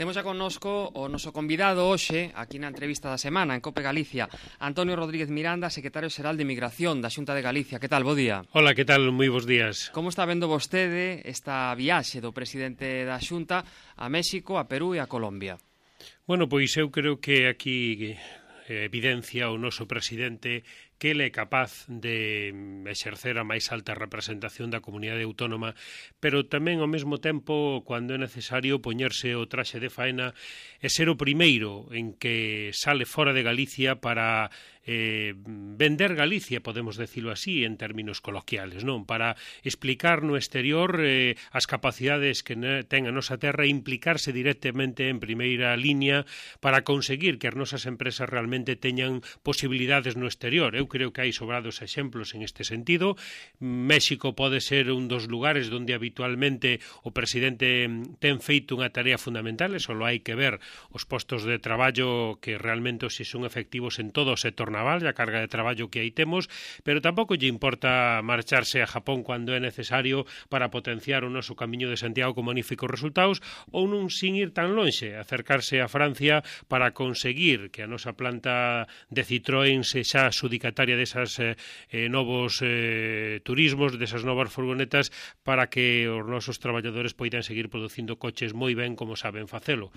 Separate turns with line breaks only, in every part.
Temos xa connosco o noso convidado hoxe, aquí na entrevista da semana, en COPE Galicia, Antonio Rodríguez Miranda, secretario xeral de Migración da Xunta de Galicia. Que tal? Bo día.
Hola, que tal? Moi bons días.
Como está vendo vostede esta viaxe do presidente da Xunta a México, a Perú e a Colombia?
Bueno, pois eu creo que aquí evidencia o noso presidente que ele é capaz de exercer a máis alta representación da comunidade autónoma, pero tamén ao mesmo tempo, cando é necesario, poñerse o traxe de faena e ser o primeiro en que sale fora de Galicia para vender Galicia, podemos decirlo así, en términos coloquiales, non? Para explicar no exterior as capacidades que ten a nosa terra e implicarse directamente en primeira liña para conseguir que as nosas empresas realmente teñan posibilidades no exterior. Eu creo que hai sobrados exemplos en este sentido. México pode ser un dos lugares onde habitualmente o presidente ten feito unha tarea fundamental, e só hai que ver os postos de traballo que realmente se son efectivos en todo o sector naval e a carga de traballo que aí temos, pero tampouco lle importa marcharse a Japón cando é necesario para potenciar o noso camiño de Santiago con magníficos resultados, ou non sin ir tan lonxe, acercarse a Francia para conseguir que a nosa planta de Citroën sexa adxudicataria desas novos turismos, desas novas furgonetas, para que os nosos traballadores poidan seguir producindo coches moi ben como saben facelo.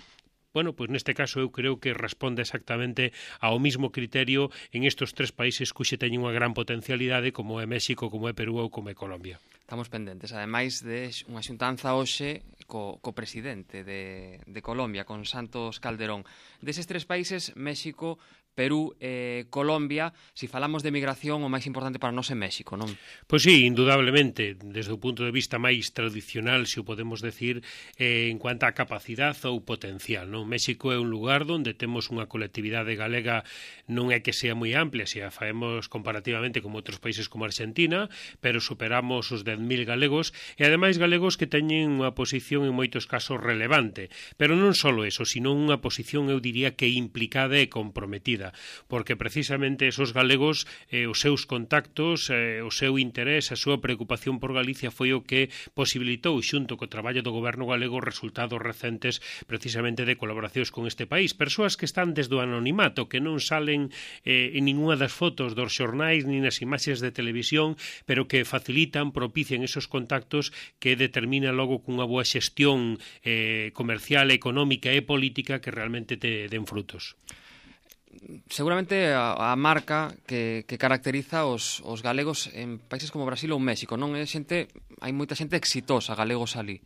Bueno, pois neste caso eu creo que responde exactamente ao mismo criterio en estes tres países cuxe teñen unha gran potencialidade, como é México, como é Perú ou como é Colombia.
Estamos pendentes, ademais de unha xuntanza hoxe co presidente de Colombia, con Santos Calderón. Deses tres países, México, Perú e Colombia, se falamos de migración, o máis importante para nós é México, non?
Pois sí, indudablemente, desde o punto de vista máis tradicional, se o podemos decir, en cuanto a capacidade ou potencial, non? México é un lugar onde temos unha colectividade galega, non é que sea moi amplia, se a faemos comparativamente con outros países como Argentina, pero superamos os 10.000 galegos, e ademais galegos que teñen unha posición en moitos casos relevante, pero non só eso, sino unha posición, eu diría que implicada e comprometida, porque precisamente esos galegos, os seus contactos, o seu interés, a súa preocupación por Galicia foi o que posibilitou, xunto co traballo do goberno galego, resultados recentes precisamente de colaboracións con este país. Persoas que están desde o anonimato, que non salen en ninguna das fotos dos xornais ni nas imaxes de televisión, pero que facilitan, propician esos contactos que determina logo cunha boa xestión comercial, económica e política que realmente te den frutos.
Seguramente a marca que caracteriza os galegos en países como Brasil ou México, non? Hai moita xente exitosa, galegos ali.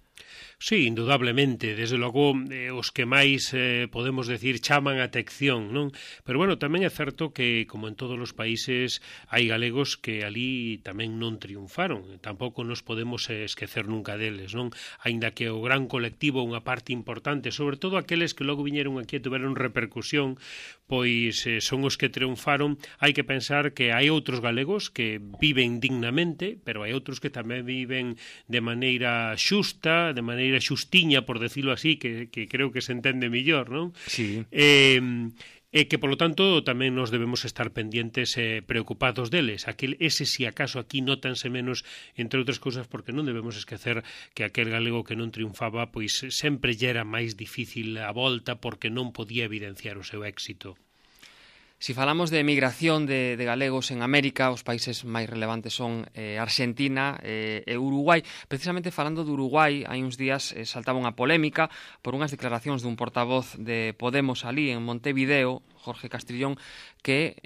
Sí, indudablemente, desde logo os que máis podemos decir chaman a atención, non? Pero bueno, tamén é certo que, como en todos os países, hai galegos que ali tamén non triunfaron, tampouco nos podemos esquecer nunca deles, non? Aínda que o gran colectivo, unha parte importante, sobre todo aqueles que logo viñeron aquí e tiveron repercusión, pois son os que triunfaron. Hai que pensar que hai outros galegos que viven dignamente, pero hai outros que tamén viven de maneira xusta, de maneira xustiña, por decirlo así, que creo que se entende millor, non?
Sí.
E que, polo tanto, tamén nos debemos estar pendientes e preocupados deles. Ese, si acaso, aquí nótanse menos, entre outras cousas, porque non debemos esquecer que aquel galego que non triunfaba, pois sempre lle era máis difícil a volta porque non podía evidenciar o seu éxito.
Si falamos de migración de galegos en América, os países máis relevantes son Argentina e Uruguai. Precisamente falando de Uruguai, hai uns días saltaba unha polémica por unhas declaracións dun portavoz de Podemos ali en Montevideo, Jorge Castrillón, que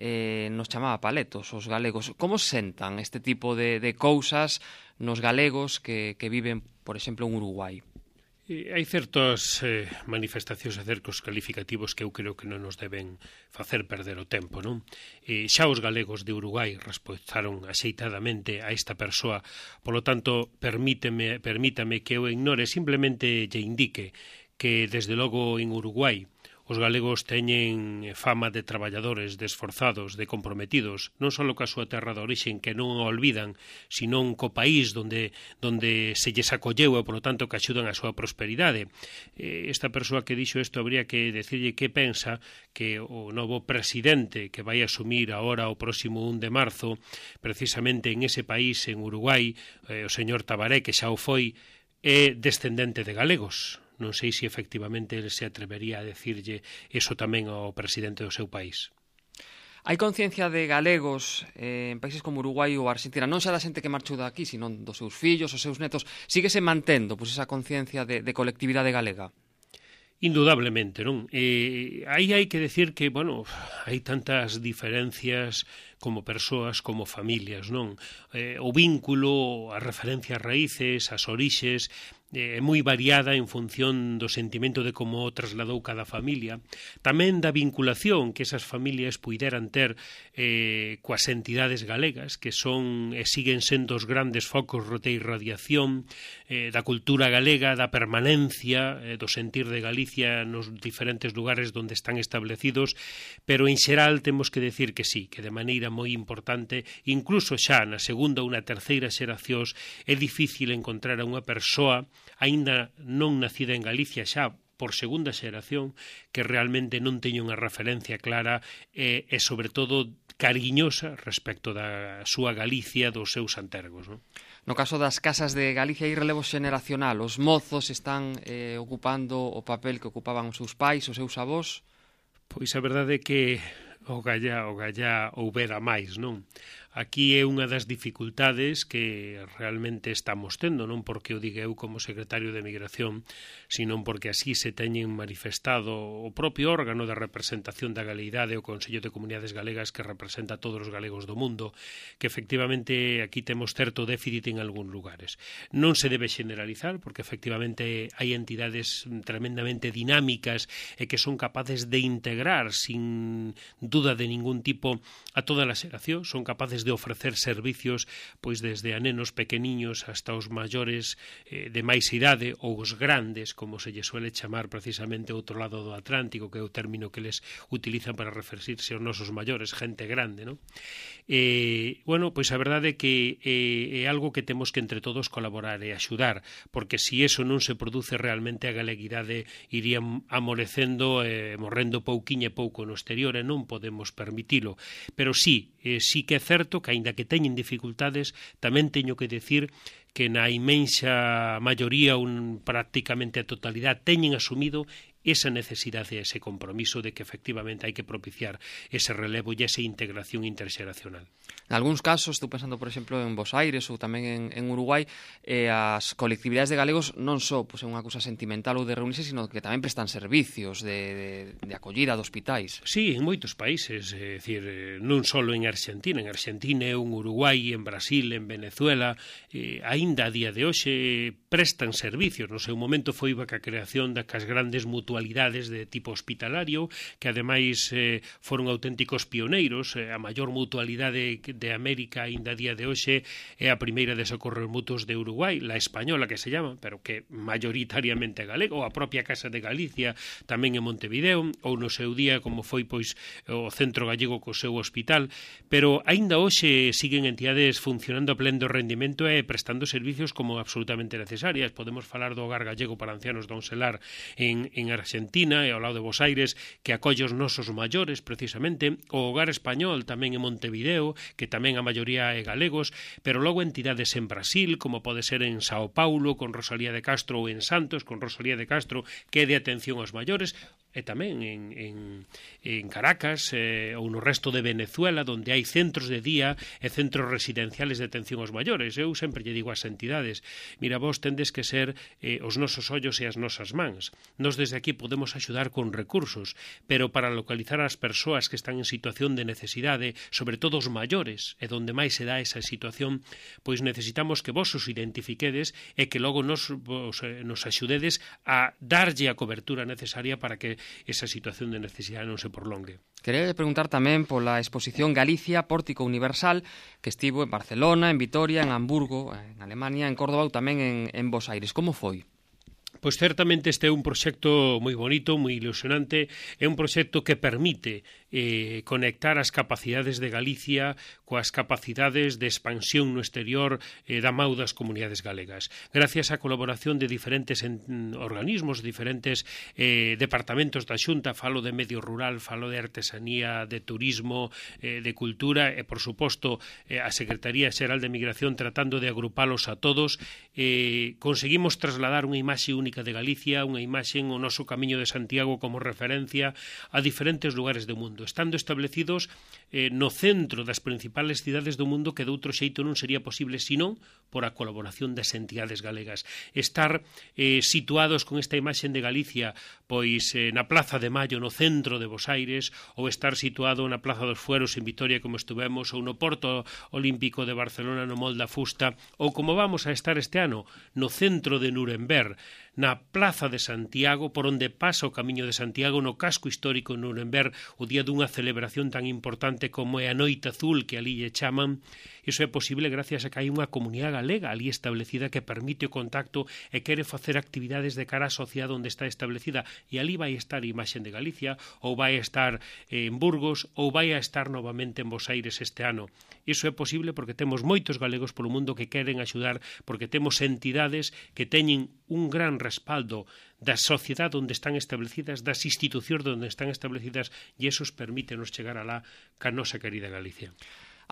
nos chamaba paletos os galegos. Como sentan este tipo de cousas nos galegos que viven, por exemplo, en Uruguai?
Hai certas manifestacións e certos calificativos que eu creo que non nos deben facer perder o tempo, non? Xa os galegos de Uruguai respostaron axeitadamente a esta persoa, polo tanto, permítame que eu ignore, simplemente lle indique que, desde logo, en Uruguai, os galegos teñen fama de traballadores, de esforzados, de comprometidos, non só coa súa terra de orixen, que non o olvidan, senón co país onde se lles acolleu e, polo tanto, que axudan a súa prosperidade. Esta persoa que dixo isto habría que decirlle que pensa que o novo presidente que vai asumir agora o próximo 1 de marzo, precisamente en ese país, en Uruguai, o señor Tabaré, que xa o foi, é descendente de galegos. Non sei se efectivamente ele se atrevería a decirlle eso tamén ao presidente do seu país.
Hai conciencia de galegos en países como Uruguai ou Argentina, non xa da xente que marchou daqui, sino dos seus fillos, os seus netos, síguese mantendo esa conciencia de colectividade galega?
Indudablemente, non? Aí hai que decir que, bueno, hai tantas diferencias como persoas, como familias, non? O vínculo, as referencias raíces, as orixes, é moi variada en función do sentimento de como o trasladou cada familia, tamén da vinculación que esas familias puideran ter coas entidades galegas, que son e siguen sendo os grandes focos de irradiación da cultura galega, da permanencia, do sentir de Galicia nos diferentes lugares onde están establecidos, pero en xeral temos que decir que sí, que de maneira moi importante, incluso xa na segunda ou na terceira xeracións, é difícil encontrar a unha persoa aínda non nacida en Galicia xa por segunda xeración que realmente non teña unha referencia clara e sobre todo cariñosa respecto da súa Galicia, dos seus antergos, non?
No caso das casas de Galicia hai relevo xeneracional, os mozos están ocupando o papel que ocupaban os seus pais, os seus avós?
Pois a verdade é que o gallá houbera máis, non? Aquí é unha das dificultades que realmente estamos tendo, non porque o diga eu como secretario de Migración, sino porque así se teñen manifestado o propio órgano de representación da galeidade, o Consello de Comunidades Galegas, que representa a todos os galegos do mundo, que efectivamente aquí temos certo déficit en algúns lugares. Non se debe generalizar, porque efectivamente hai entidades tremendamente dinámicas e que son capaces de integrar sin duda de ningún tipo a toda a xeración, son capaces de ofrecer servicios pois desde a nenos pequeniños hasta os maiores de máis idade ou os grandes, como se lle suele chamar precisamente ao outro lado do Atlántico, que é o término que les utilizan para referirse aos nosos maiores, gente grande, non? Bueno, pois a verdade é que é algo que temos que entre todos colaborar e axudar, porque se iso non se produce realmente a galeguidade iría amolecendo e morrendo pouquiño e pouco no exterior e non podemos permitilo. Pero sí que é certo que, aínda que teñen dificultades, tamén teño que decir que na imensa maioría, prácticamente a totalidade, teñen asumido esa necesidade e ese compromiso de que efectivamente hai que propiciar ese relevo e esa integración interxeracional.
En algúns casos, estou pensando, por exemplo, en Bos Aires ou tamén en Uruguai, as colectividades de galegos non só é unha cousa sentimental ou de reunirse, sino que tamén prestan servicios de acollida de hospitais.
Sí, en moitos países, é dicir, non só en Argentina, en Uruguai, en Brasil, en Venezuela, aínda a día de hoxe prestan servicios. No seu momento foi a creación das grandes mutualidades de tipo hospitalario, que ademais foron auténticos pioneiros. A maior mutualidade de América aínda a día de hoxe é a primeira de socorros mutuos de Uruguai, la española que se llama, pero que maioritariamente galega, ou a propia Casa de Galicia tamén en Montevideo, ou no seu día como foi pois o Centro Gallego co seu hospital, pero aínda hoxe siguen entidades funcionando a pleno rendimento e prestando servicios como absolutamente necesarias. Podemos falar do Hogar Gallego para Ancianos Don Selar en Argentina e ao lado de Bos Aires, que acolle os nosos maiores precisamente, o Hogar Español tamén en Montevideo, que tamén a maioría é galegos, pero logo entidades en Brasil, como pode ser en Sao Paulo, con Rosalía de Castro, ou en Santos, con Rosalía de Castro, que é de atención aos maiores, e tamén en Caracas ou no resto de Venezuela, onde hai centros de día e centros residenciales de atención aos maiores. Eu sempre lle digo ás entidades, mira, vos tendes que ser os nosos ollos e as nosas mans. Nos desde aquí podemos axudar con recursos, pero para localizar as persoas que están en situación de necesidade, sobre todo os maiores, e donde máis se dá esa situación, pois necesitamos que vos os identifiquedes e que logo nos axudedes a darlle a cobertura necesaria para que esa situación de necesidade non se prolongue.
Quería preguntar tamén pola exposición Galicia, Pórtico Universal, que estivo en Barcelona, en Vitoria, en Hamburgo, en Alemania, en Córdoba ou tamén en Bos Aires. Como foi?
Pois certamente este é un proxecto moi bonito, moi ilusionante, é un proxecto que permite conectar as capacidades de Galicia coas capacidades de expansión no exterior da mau das comunidades galegas. Gracias á colaboración de diferentes organismos, diferentes departamentos da Xunta, falo de medio rural, falo de artesanía, de turismo, de cultura e, por suposto, a Secretaría Xeral de Migración tratando de agrupalos a todos, conseguimos trasladar unha imaxe única Católica de Galicia, unha imaxe o noso Camiño de Santiago como referencia a diferentes lugares do mundo, estando establecidos no centro das principales cidades do mundo, que de outro xeito non sería posible senón por a colaboración das entidades galegas. Estar situados con esta imaxe de Galicia pois na Plaza de Maio, no centro de Bos Aires, ou estar situado na Plaza dos Fueros en Vitoria, como estuvemos, ou no Porto Olímpico de Barcelona, no Mol da Fusta, ou como vamos a estar este ano, no centro de Nuremberg, na Plaza de Santiago, por onde pasa o Camiño de Santiago, no casco histórico de Nuremberg, o día dunha celebración tan importante como é a Noite Azul, que ali lle chaman. Iso é posible gracias a que hai unha comunidade galega ali establecida que permite o contacto e quere facer actividades de cara á sociedade onde está establecida, e ali vai estar a imaxe de Galicia, ou vai estar en Burgos, ou vai a estar novamente en Bos Aires este ano. Iso é posible porque temos moitos galegos polo mundo que queren axudar, porque temos entidades que teñen un gran respaldo da sociedade onde están establecidas, das institucións onde están establecidas, e esos permítenos chegar alá ca nosa querida Galicia.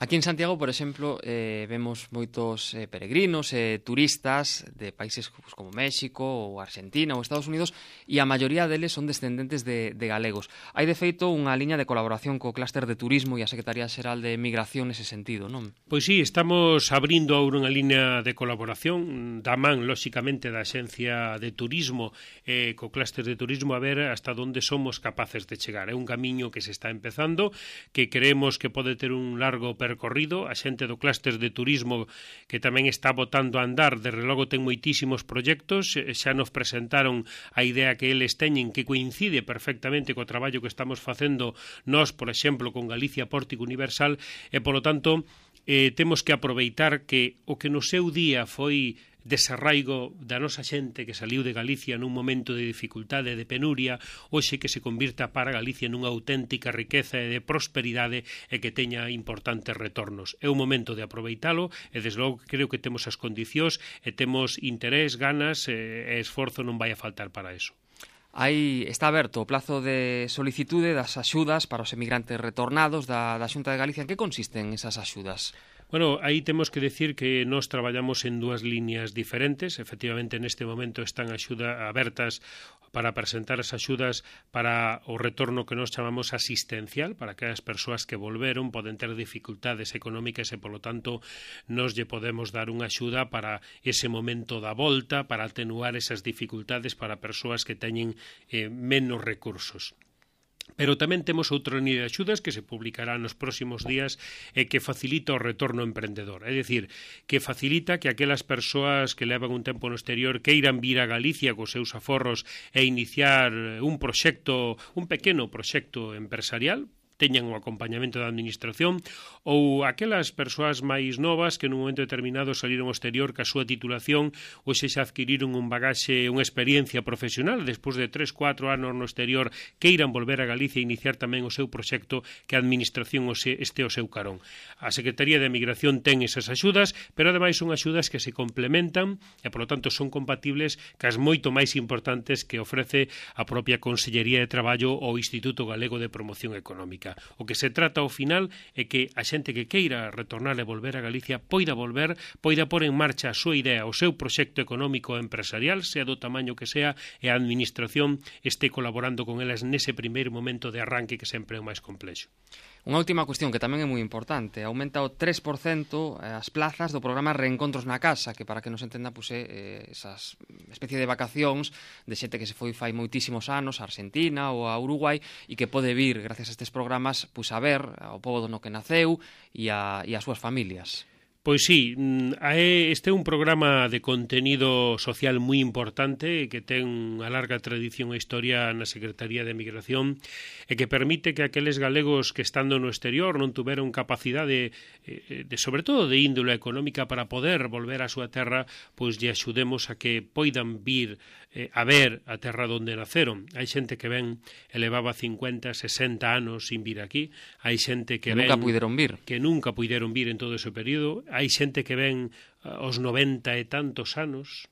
Aquí en Santiago, por exemplo, vemos moitos peregrinos, turistas de países como México ou Argentina ou Estados Unidos, e a maioría deles son descendentes de galegos. Hai, de feito, unha liña de colaboración co Clúster de Turismo e a Secretaría Xeral de Migración nese sentido, non?
Pois sí, estamos abrindo agora unha liña de colaboración da man, lóxicamente, da Axencia de Turismo co Clúster de Turismo, a ver hasta onde somos capaces de chegar. É un camiño que se está empezando, que creemos que pode ter un largo percorrido. A xente do Clúster de Turismo, que tamén está botando a andar, desde logo ten moitísimos proxectos, xa nos presentaron a idea que eles teñen, que coincide perfectamente co traballo que estamos facendo nós, por exemplo, con Galicia Pórtico Universal, e, polo tanto, temos que aproveitar que o que no seu día foi desarraigo da nosa xente que saliu de Galicia nun momento de dificultade, de penuria, hoxe que se convirta para Galicia nunha auténtica riqueza e de prosperidade e que teña importantes retornos. É un momento de aproveitalo e, desde logo, creo que temos as condicións e temos interés, ganas e esforzo non vai a faltar para eso.
Está aberto o plazo de solicitude das axudas para os emigrantes retornados da Xunta de Galicia. En que consisten esas axudas?
Bueno, aí temos que decir que nós traballamos en dúas líneas diferentes. Efectivamente, neste momento están abertas para presentar as axudas para o retorno que nós chamamos asistencial, para que as persoas que volveron poden ter dificultades económicas e, polo tanto, nós lle podemos dar unha axuda para ese momento da volta, para atenuar esas dificultades para persoas que teñen menos recursos. Pero tamén temos outra línea de axudas que se publicará nos próximos días e que facilita o retorno emprendedor. É dicir, que facilita que aquelas persoas que levan un tempo no exterior queiran vir a Galicia cos seus aforros e iniciar un pequeno proxecto empresarial, teñan o acompañamento da administración, ou aquelas persoas máis novas que nun momento determinado saliron ao exterior ca súa titulación ou xa adquiriron un bagaxe, unha experiencia profesional, despois de 3-4 anos no exterior queiran volver a Galicia e iniciar tamén o seu proxecto, que a administración este ao seu carón. A Secretaría de Migración ten esas axudas, pero ademais son axudas que se complementan e, polo tanto, son compatibles cas moito máis importantes que ofrece a propia Consellería de Traballo ou Instituto Galego de Promoción Económica. O que se trata ao final é que a xente que queira retornar e volver a Galicia poida volver, poida pôr en marcha a súa idea, o seu proxecto económico e empresarial, sea do tamaño que sea, e a administración este colaborando con elas nese primeiro momento de arranque que sempre é o máis complexo.
Unha última cuestión que tamén é moi importante. Aumenta o 3% as plazas do programa Reencontros na Casa, que, para que nos entenda, esas especie de vacacións de xente que se foi fai moitísimos anos a Argentina ou a Uruguai e que pode vir, gracias a estes programas, a ver ao pobo no que naceu e as súas familias.
Pois sí, este é un programa de contenido social moi importante que ten unha larga tradición e historia na Secretaría de Migración e que permite que aqueles galegos que estando no exterior non tuveron capacidade sobre todo de índole económica para poder volver á súa terra, pois lle axudemos a que poidan vir a ver a terra onde naceron. Hai xente que ven e levaba 50, 60 anos sin vir aquí, hai xente que
nunca puideron vir
en todo ese período, hai xente que ven aos 90 e tantos anos,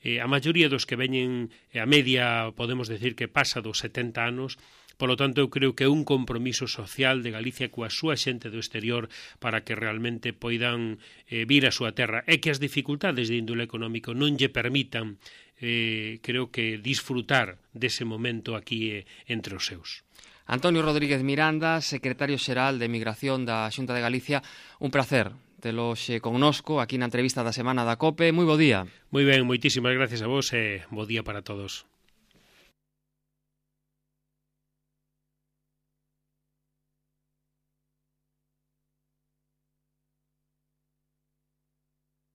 a maioría dos que veñen, a media podemos decir que pasa dos 70 anos. Polo tanto, eu creo que é un compromiso social de Galicia coa súa xente do exterior para que realmente poidan vir a súa terra e que as dificultades de índole económico non lle permitan creo que disfrutar dese momento aquí entre os seus.
Antonio Rodríguez Miranda, secretario xeral de Migración da Xunta de Galicia, un placer telo xe connosco aquí na entrevista da semana da COPE. Moi bo día.
Moi ben, moitísimas gracias a vos e bo día para todos.